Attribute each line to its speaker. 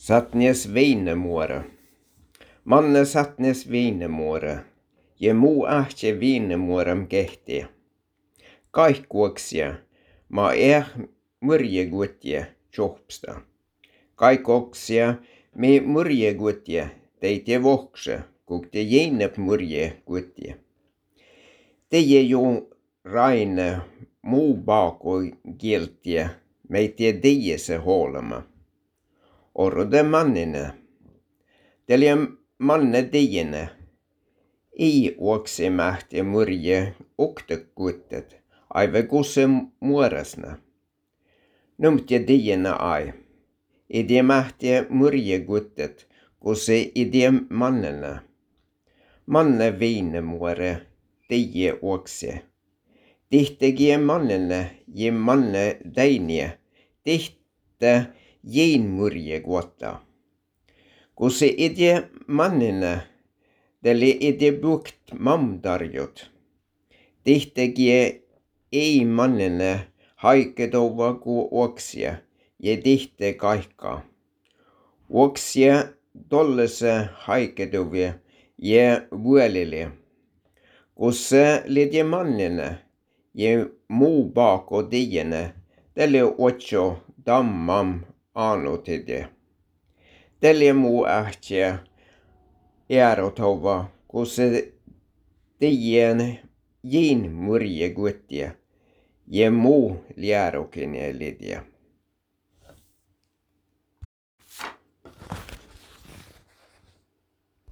Speaker 1: Satnes viinemuore. Manne satnes viinemuore. Ja muu ahtje viinemuorem kehti. Kaikkuoksia. Ma murjegutje tjohpsta. Kaikoksia me murjegutje teite vohkse, kuk te jeinep murjegutje. Teie jo raine muu baako kieltje, meitä teie se huolema. Orrode mannine. Telia manne teiene. Ei uokse mähtiä murje uktekuttet, aive kusse muoresna. Numtje teiene ai. Idie mähtiä murje guttet, kusse idie mannena. Manne viine muore, teie uokse. Tihtegie mannene, je manne teinie, tihte jein murje guotta. Kusse idie mannina, teli idie bukt mamtarjut. Tihtegie ei mannina haiketova ku oksia, ja tihte kaikka. Oksia tollese haiketovia ja vuolille. Kusse lidie mannina, ja muu baako tiiene, teli otso dammam aanutide. Telia muu ähtiä järotova, kun se teidän jin murje guttia ja muu lierokin lidia.